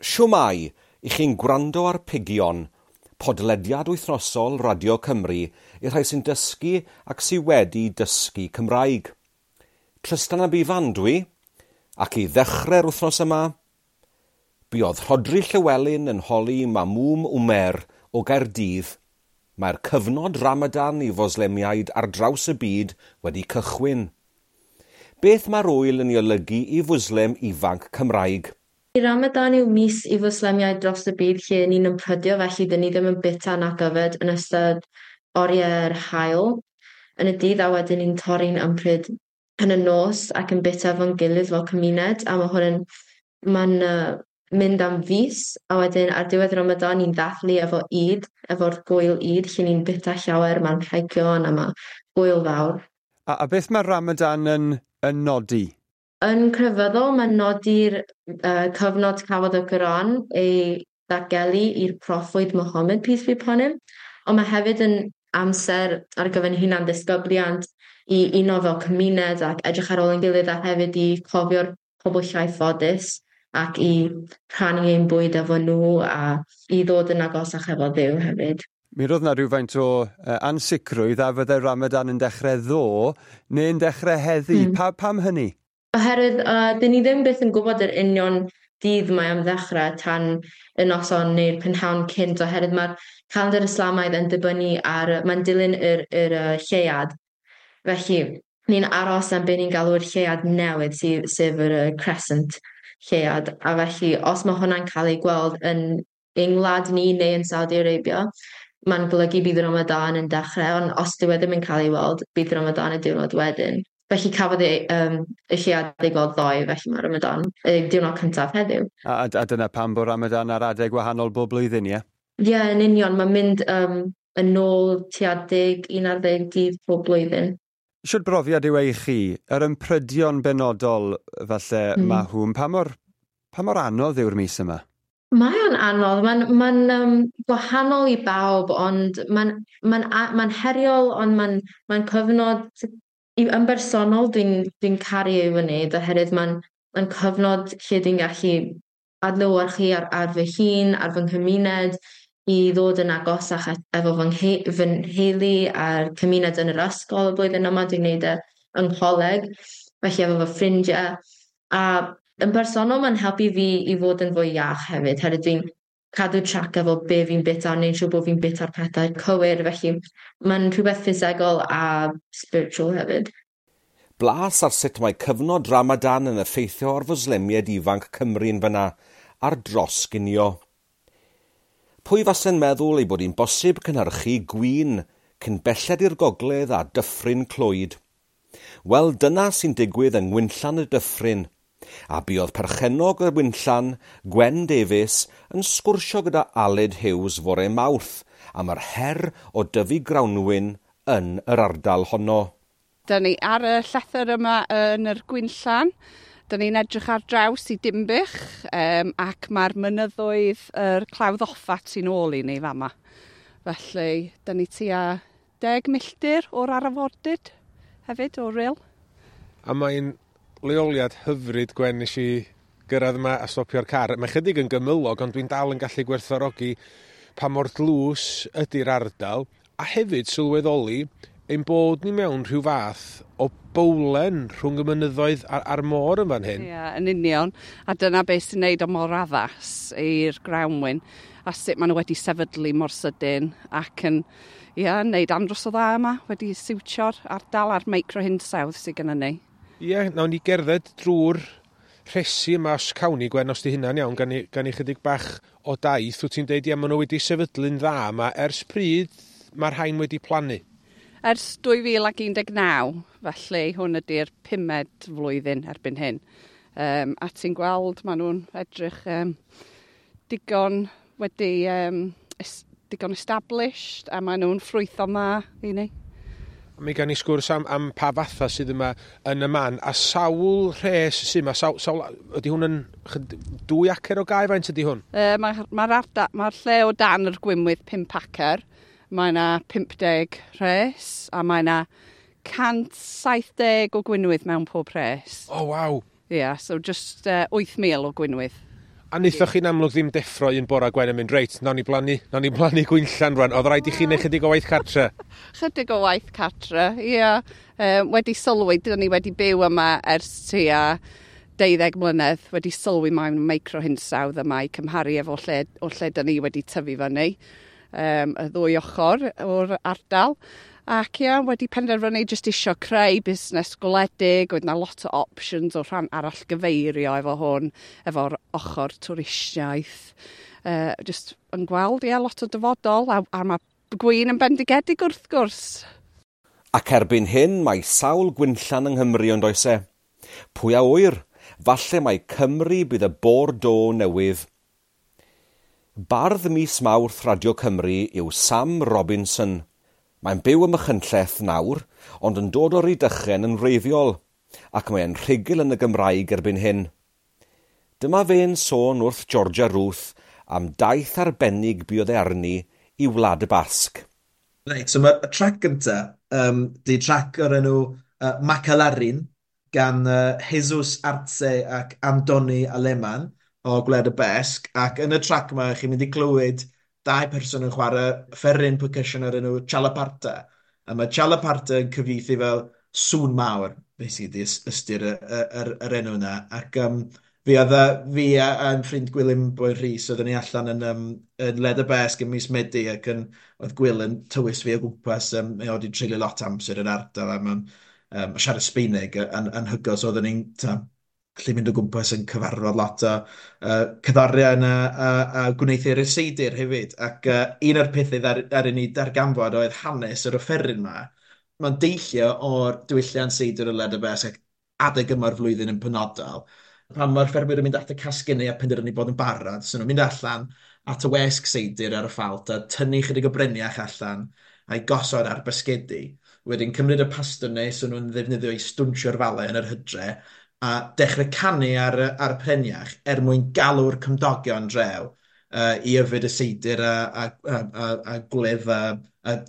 Shwmae, i chi'n gwrando ar Pigion, podlediad wythnosol Radio Cymru i'r rhai sy'n dysgu ac sy wedi dysgu Cymraeg. Trystan ab Ifan dwi, ac i ddechrau'r wythnos yma, buodd Rhodri Llywelyn yn holi Mamŵm Wmer o Gaerdydd. Mae'r cyfnod Ramadan i Foslemiaid ar draws y byd wedi cychwyn. Beth mae'r ŵyl yn ei olygu i Fwslem ifanc Cymraeg? Ramadan yw mis i Fwslemiaid dros y byd lle ni'n ymprydio, felly dyn ni ddim yn byta nac yfed yn ystod oriau'r haul yn y dydd, a wedyn ni'n torri'n ympryd yn y nos ac yn byta efo'n gilydd fel cymuned, a mae hwn yn mae'n mynd am fis, a wedyn ar diwedd Ramadan ni'n dathlu efo Eid, efo'r gwyl Eid, lle ni'n byta llawer, mae'n rhegion a mae gwyl fawr. A beth mae Ramadan yn nodi? Yn crefyddol, mae'n nodi'r cyfnod cafodd y Quran ei ddatgelu i'r proffwyd Muhammad, peace be upon him, ond mae hefyd yn amser ar gyfer hunan ddisgybliant i uno fel cymuned ac edrych ar ôl ein gilydd, a hefyd i cofio'r pobl llai ffodus ac i rhannu ein bwyd efo nhw a i ddod yn agosach efo Dduw hefyd. Mi roedd 'na rhywfaint o ansicrwydd a fydde Ramadan yn dechrau ddo neu'n dechrau heddi. Pam hynny? Oherwydd dyn ni ddim byth yn gwybod yr union dydd mae am ddechrau tan y noson neu'r prynhawn cynt, oherwydd mae'r calendar Islamaidd yn dibynnu ar, mae'n dilyn yr lleuad. Felly ni'n aros am be ni'n galw'r lleuad newydd, sef yr crescent lleuad, a felly os mae hwnna'n cael ei gweld yn ein wlad ni neu yn Saudi Arabia, mae'n golygu bydd Ramadan yn dechrau, ond os dyw e ddim yn cael ei weld, bydd Ramadan y diwrnod wedyn. Felly cafodd ei y lleuad ei gweld ddoe, felly mae Ramadan y diwrnod cyntaf heddiw. A dyna pam bod Ramadan ar adeg wahanol bob blwyddyn, ie? Ie, yeah, yn union. Mae'n mynd yn ôl tua 10, 11 dydd pob blwyddyn. Shwd brofiad yw e i chi? Yr ymprydion benodol falle Mahwm, pa mor anodd yw'r mis yma? Mae o'n anodd. Mae'n gwahanol i bawb, ond mae'n heriol, ond mae'n cyfnod yn bersonol dwi'n caru ei wneud, oherwydd mae'n cyfnod lle dwi'n gallu adlewyrchu ar fy hun, ar fy nghymuned, i ddod yn agosach efo fy nheulu a'r cymuned yn yr ysgol. Y blwyddyn yma dwi'n gwneud e yng ngholeg, felly efo fy ffrindiau. A yn bersonol mae'n helpu fi i fod yn fwy iach hefyd, herwydd dwi'n cadw track efo be fi'n byta, neu'n siŵr bod fi'n byta'r pethau cywir, felly mae'n rhywbeth ffisegol a spiritual hefyd. Blas ar sut mae cyfnod Ramadan yn effeithio ar Foslemiaid ifanc Cymru'n fyna ar dros ginio. Pwy fase'n meddwl ei bod hi'n bosib cynhyrchu gwin cyn belled i'r gogledd a Dyffryn Clwyd? Wel, dyna sy'n digwydd yng Ngwynllan y Dyffryn, a buodd perchennog y Winllan, Gwen Davies, yn sgwrsio gyda Aled Hughes fore Mawrth am yr her o dyfu grawnwin yn yr ardal honno. Da ni ar y llethr yma yn yr Gwynllan. Da ni'n edrych ar draws i Dimbych ac mae'r mynyddoedd yr Clawdd Offa tu ôl i ni fama. Felly, da ni tua 10 milltir o'r arfordir hefyd, o Ryl. A mae'n leoliad hyfryd, Gwen, nes i gyrraedd yma a stopio'r car. Mae chydig yn gymylog, ond dwi'n dal yn gallu gwerthfawrogi pa mor dlws ydy'r ardal, a hefyd sylweddoli ein bod ni mewn rhyw fath o bowlen rhwng y mynyddoedd a'r môr yn fan hyn. Ie, yeah, yn union. A dyna beth sy'n neud o mor addas i'r grawnwin a sut maen nhw wedi sefydlu mor sydyn ac yn, ia, neud andros o dda yma, wedi siwtio'r ardal a'r microhinsawdd sydd gennym ni. Ie, yeah, nawn ni gerdded drwy'r rhesi yma os cawn ni, Gwen, os di hynna'n iawn, gan i chydig bach o daith. Wyt ti'n deud, ie, maen nhw wedi sefydlu'n dda yma. Ers pryd mae'r rhain wedi plannu? Ers 2019, felly hwn ydy'r pumed flwyddyn erbyn hyn. A ti'n gweld, maen nhw'n edrych digon wedi digon established a maen nhw'n ffrwytho ma i ni. Mi gan ni sgwrs am pa fatha sydd yma yn y man, a sawl rhes sydd yma, sawl, ydy hwn yn 2 acer o gae, faint ydy hwn? Mae'r ma lle o dan yr gwinwydd 5 acer, mae yna 50 rhes a mae yna 170 o gwinwydd mewn pob rhes. O, oh, waw! Ie, yeah, so just 8,000 o gwinwydd. A wnaethoch chi'n amlwg ddim deffro un bora Gwen yn mynd, reit, nawn ni blannu, nawn ni blannu gwinllan rwan. Oedd rhaid i chi wneud chydig o waith cartre? Chydig o waith cartre, ie. Yeah. Wedi sylwi, dyn ni wedi byw yma ers tua 12 mlynedd, wedi sylwi mewn microhinsawdd yma i cymharu efo lle, o lle dyn ni wedi tyfu fyny, y ddwy ochr o'r ardal. Ac ia, wedi penderfynu jyst isio creu busnes gwledig, oedd 'na lot o options o rhan arall gyfeirio efo hwn, efo'r ochr twristiaeth. Jyst yn gweld, ia, lot o dyfodol, a mae gwin yn bendigedig wrth gwrs. Ac erbyn hyn mae sawl gwinllan yng Nghymru ond oes e? Pwy a ŵyr? Falle mai Cymru bydd y Bordeaux newydd. Bardd mis Mawrth Radio Cymru yw Sam Robinson. Mae'n byw ym Machynlleth nawr, ond yn dod o Rydychen yn wreiddiol, ac mae'n rhugl yn y Gymraeg erbyn hyn. Dyma fe'n sôn wrth Georgia Ruth am daith arbennig buodd e arni i Wlad y Basg. Reit, so mae'r trac gynta, di trac o'r enw Makalarin gan Jesus Arce ac Andoni Aleman o Gwlad y Basg, ac yn y trac yma chi'n mynd i glywed dau person yn chwarae offeryn percussion o'r enw Txalaparta. A mae Txalaparta yn cyfieithu fel sŵn mawr, basically, ystyr yr enw yna. Ac fi oedd fi a'n ffrind Gwilym Boy Rhys, oedden ni allan yn Wlad y Basg yn mis Medi, ac oedd Gwil yn tywys fi o gwmpas, mae o wedi treulio lot amser yn ardal, a mae'n siarad Sbeineg yn anhygoel, so oedden ni'n gallu mynd o gwmpas yn cyfarfod lot o cerddorion a gwneuthurwyr seidr hefyd. Ac un o'r pethau ddaru ni darganfod oedd hanes yr offeryn yma. Mae'n deillio o'r diwylliant seidr y Wlad y Basg ac adeg yma'r flwyddyn yn penodol. Pan mae'r ffermwyr yn mynd at y casgenau a penderfynu bod yn barod, so nhw'n mynd allan at y wesg seidr ar y ffalt a tynnu chydig o breniach allan a'i gosod ar basgedi. Wedyn cymryd y pastwnau so nhw'n ddefnyddio i stwnsio'r falau yn yr hydre a dechrau canu ar y preniach er mwyn galw'r cymdogion draw i yfed y seidr a gwledd a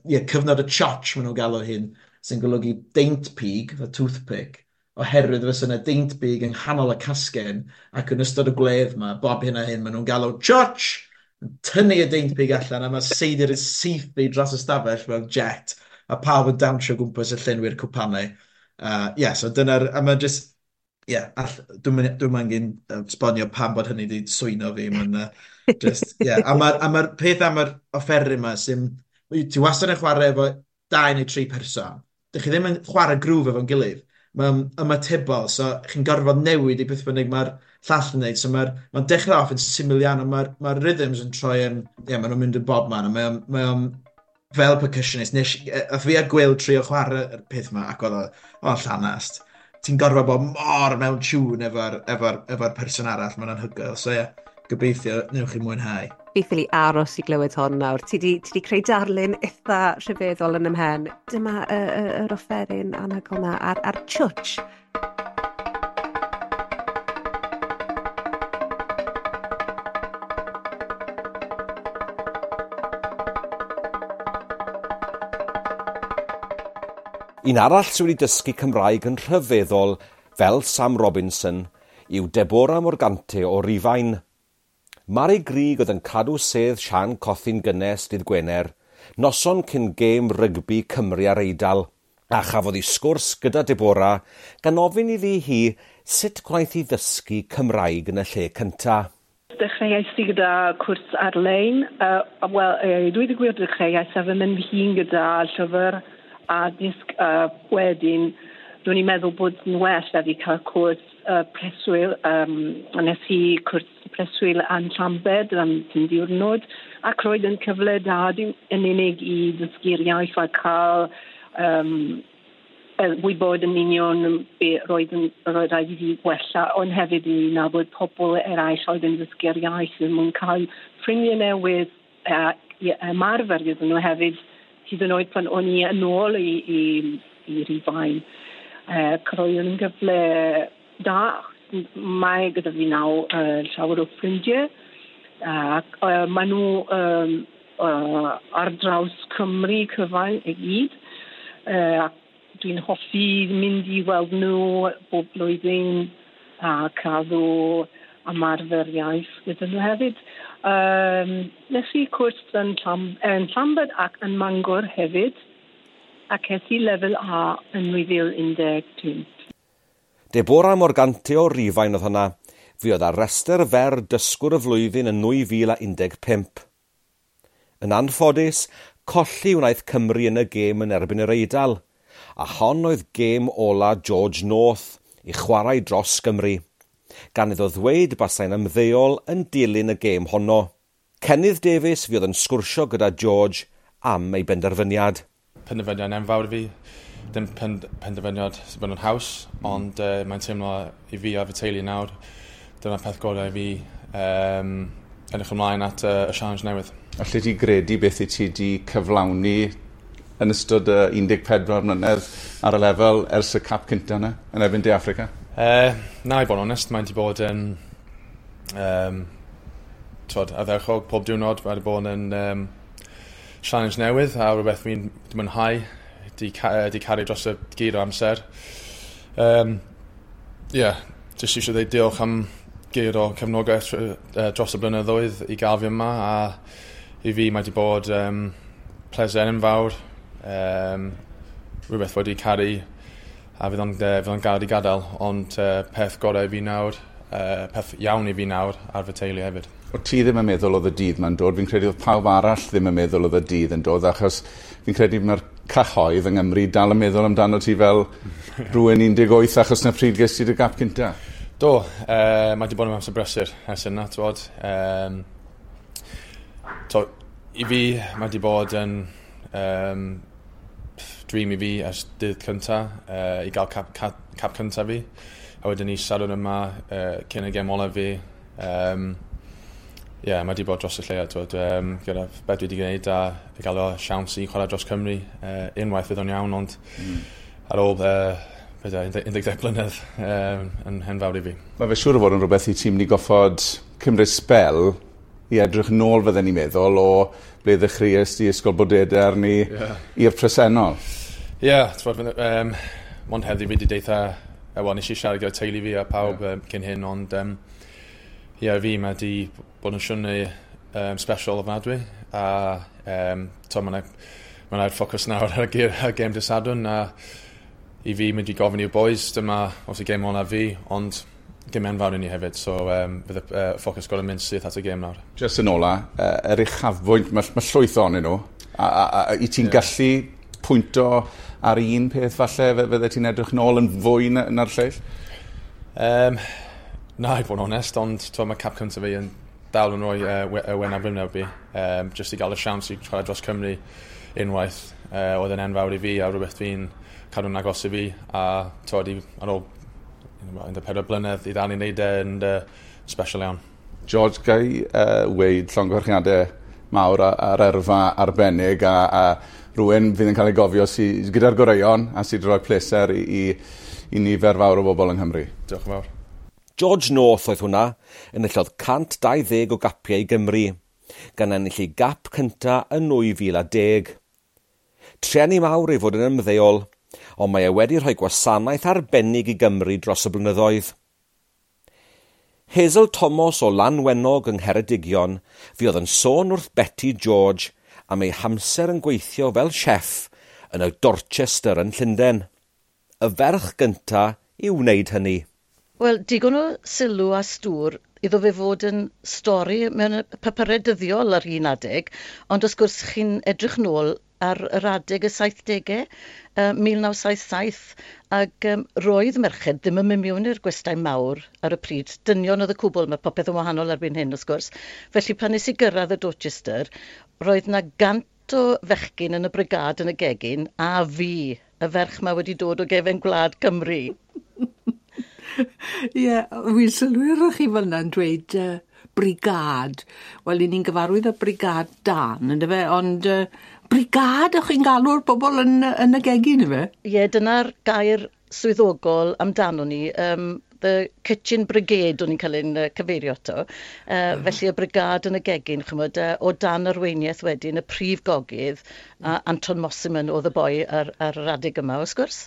yeah, cyfnod y txotx maen nhw'n galw hyn, sy'n golygu deint pig, fel toothpick, oherwydd fysa yna deint big yng nghanol y casgen ac yn ystod y gwledd yma, bob hyn a hyn, maen nhw'n galw txotx, yn tynnu y deint pig allan a mae seidr yn saethu dros y stafell fel jet a pawb yn dawnsio gwmpas y llenwi'r cwpanau. Yeah, so dyna'r, a mae just, yeah, dwi'n angen esbonio pam bod hynny wedi swyno fi. Mae'n just, yeah. A mae'r peth am yr offeryn yma sy'n, ti wastad yn chwarae efo 2 neu 3 person. Dych chi ddim yn chwarae grŵf efo'n gilydd. Mae'n ymatebol, so chi'n gorfod newid i beth bynnag mae'r llall yn neud. So mae'n dechrau off yn syml iawn, ond mae'r rhythms yn troi yn, yeah, maen nhw'n mynd yn bob man, a mae fel percussionist, nes fi a Gwil trio chwarae'r peth yma, ac oedd o'n llanast. Ti'n gorfod bod mor mewn tune efo'r person arall, mae'n anhygoel. So ie, yeah, gobeithio newch chi mwynhau. Fi ffili aros i glywed hon nawr. Ti di creu darlun eitha rhyfeddol yn ymhen. Dyma yr offeryn anhygoel na a'r txotx. Un arall sydd wedi dysgu Cymraeg yn rhyfeddol fel Sam Robinson yw Deborah Morgante o Rufain. Mari Grug oedd yn cadw sedd Sian Cothi'n gynnes dydd Gwener, noson cyn gêm rygbi Cymru a'r Eidal, a chafodd hi sgwrs gyda Deborah gan ofyn iddi hi sut gwnaeth hi ddysgu Cymraeg yn y lle cynta. Dechreuais i gyda cwrs ar-lein. Wel, dweud y gwir dechreuais a fy mynd hun gyda llyfr a disg wedyn. Dwi'n i'n meddwl bod yn well da fi cael cwrs preswyl. Nes i cwrs preswyl yn Llambed am 5 diwrnod, ac roedd yn cyfle da yn unig i ddysgu'r iaith a cael wybod yn union be roedd rhaid i fi gwella, ond hefyd i nabod pobl eraill oedd yn dysgu'r iaith yn mwyn cael ffrindiau newydd i ymarfer gyda nhw hefyd, hyd yn oed pan o'n i yn ôl i Rufain. Roedd yn gyfle da. Mae gyda fi nawr llawer o ffrindiau. Ac maen nhw ar draws Cymru cyfan i gyd. Ac dwi'n hoffi mynd i weld nhw bob blwyddyn a cadw ymarfer iaith gyda nhw hefyd. Nes i cwrs yn Llambed ac yn Mangor hefyd, ac es i lefel A yn 2015. Deborah Morgante o Rufain oedd hwnna. Fi oedd ar restr fer dysgwr y flwyddyn yn 2015. Yn anffodus, colli wnaeth Cymru yn y gêm yn erbyn yr Eidal, a hon oedd gêm ola George North i chwarae dros Gymru, gan iddo ddweud basai'n ymddeol yn dilyn y gêm honno. Cennydd Davies fuodd yn sgwrsio gyda George am ei benderfyniad. Penderfyniad enfawr i fi. Dim penderfyniad sy'n bod yn haws, ond mae'n teimlo i fi a fy teulu nawr. Dyna'r peth gorau i fi edrych ymlaen at y challenge newydd. Allet ti gredu beth i ti wedi cyflawni yn ystod y 14 mlynedd ar y lefel ers y cap cynta yna yn erbyn De Affrica? Na, i bod yn onest, mae'n wedi bod yn ardderchog pob diwrnod. Mae wedi bod yn challenge newydd a rhywbeth fi'n mwynhau di caru dros y gyd o amser. Jyst eisiau dweud diolch am gyd o cefnogaeth dros y blynyddoedd i gael fi yma, a i fi mae wedi bod pleser enfawr, rhywbeth wedi caru a fydd o'n gael i gadael, ond peth gorau i fi nawr, peth iawn i fi nawr ar fy teulu hefyd. O ti ddim yn meddwl oedd y dydd ma'n dod, fi'n credu oedd pawb arall ddim yn meddwl oedd y dydd yn dod, achos fi'n credu mae'r cyhoedd yng Nghymru dal yn meddwl amdano ti fel rhywun 18 achos na pryd ges ti dy gap cynta. Do, mae wedi bod yn amser brysur ers yna, t'wod. I fi, mae wedi bod yn dream i fi ers dydd cynta, i gael cap cynta fi. A wedyn ni Sadwrn yma cyn y gêm olaf fi. Mae wedi bod dros y lleia, t'wod, gyda beth dwi wedi gwneud a i gael o siawns i chwarae dros Cymru. Unwaith fydd o'n iawn, ond ar ôl 12 blynedd yn enfawr i fi. Mae fe siŵr o fod yn rhywbeth i ti'n mynd i goffod cymryd sbel i edrych nôl fydden ni'n meddwl o ble ddechreuais di Ysgol Bodedern ni i'r presennol. Ie, t'wod, mond heddi fi wedi deitha, wel, nes i siarad gyda teulu fi a pawb cyn hyn, ond fi mae wedi bod yn siwrne special ofnadwy, a mae'n ffocws nawr ar y gêm dydd Sadwrn, a i fi mynd i gofyn i'r boys, dyma obviously gêm olaf fi, ond gêm enfawr i ni hefyd, so fydd y ffocws gorau mynd syth at y gêm nawr. Just yn ola, yr uchafbwynt, mae llwyth ohonyn nhw, a i ti'n gallu pwynto ar un peth falle, fydde ti'n edrych nôl yn fwy na'r lleill? Na, i fod yn onest, ond mae cap cyntaf fi yn dal yn rhoi wen ar wyneb fi. Just i gael y siawns i chwarae dros Cymru unwaith, oedd yn enfawr i fi a rhywbeth fi'n cadw'n agos i fi, a ar ôl 14 blynedd i ddal i wneud e yn special iawn. George, gai weud llongyfarchiadau mawr ar erfa arbennig a rhywun fydd yn cael ei gofio sy gyda'r goreuon a sydd wedi rhoi pleser i nifer fawr o bobl yng Nghymru. Diolch yn fawr. George North oedd hwnna, enillodd 120 o gapiau i Gymru, gan ennill ei gap cynta yn 2010. Trueni mawr ei fod yn ymddeol, ond mae e wedi rhoi gwasanaeth arbennig i Gymru dros y blynyddoedd. Hazel Thomas o Lanwenog yng Ngheredigion fuodd yn sôn wrth Betty George am ei hamser yn gweithio fel chef yn y Dorchester yn Llundain. Y ferch gynta i wneud hynny. Wel, digon o sylw a stŵr iddo fe fod yn stori mewn papurau dyddiol ar un adeg, ond wrth gwrs chi'n edrych nôl ar yr adeg y 70au, 1977, ac roedd merched ddim yn mynd mewn i'r gwestai mawr ar y pryd. Dynion oedd y cwbl, mae popeth yn wahanol erbyn hyn, wrth gwrs. Felly pan nes i gyrraedd y Dorchester, roedd na 100 o fechgyn yn y brigâd yn y gegin, a fi, y ferch ma wedi dod o gefen gwlad Cymru. Ie, wy'n sylwi chi fel yna'n dweud brigâd. Wel, 'yn ni'n gyfarwydd â brigâd dân, yndyfe? Ond brigâd, o'ch chi'n galw'r bobl yn y gegin, yfe? Ie, dyna'r gair swyddogol amdano ni. The Kitchen Brigade o'n i'n cael ein cyfeirio ato. Felly y brigâd yn y gegin, ch'mod, o dan arweiniaeth wedyn y prif gogydd, a Anton Mosimann oedd y boi ar yr adeg yma, wrth gwrs.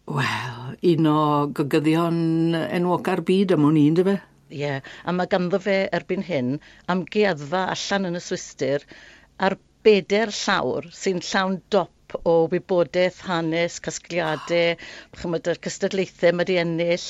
Wel, un o gogyddion enwoca'r byd am wn i, yndyfe? Ie, yeah. A mae ganddo fe erbyn hyn amgueddfa allan yn y Swistir ar 4 llawr sy'n llawn dop o wybodaeth, hanes, casgliadau, chymod, yr cystadlaethau mae 'di ennill,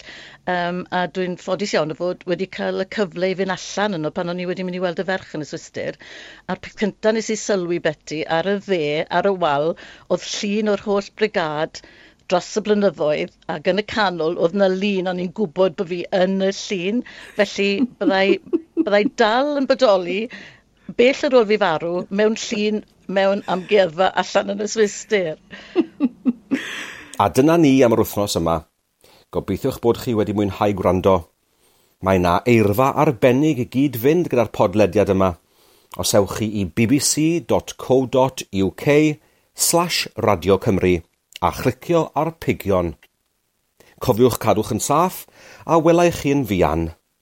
a dwi'n ffodus iawn o fod wedi cael y cyfle i fynd allan yno pan o'n i wedi mynd i weld y ferch yn y Swistir, a'r peth cyntaf nes i sylwi, Beti, ar y dde, ar y wal, oedd llun o'r holl brigâd dros y blynyddoedd, ac yn y canol oedd 'na lun o'n i'n gwybod bod fi yn y llun, felly byddai dal yn bodoli bell ar ôl fi farw mewn llun mewn amgueddfa allan yn y Swistir. A dyna ni am yr wythnos yma. Gobeithiwch bod chi wedi mwynhau gwrando. Mae 'na eirfa arbennig i gyd fynd gyda'r podlediad yma. Os ewch chi i bbc.co.uk/radiocymru a chlicio ar pigion. Cofiwch cadwch yn saff a welai chi yn fuan.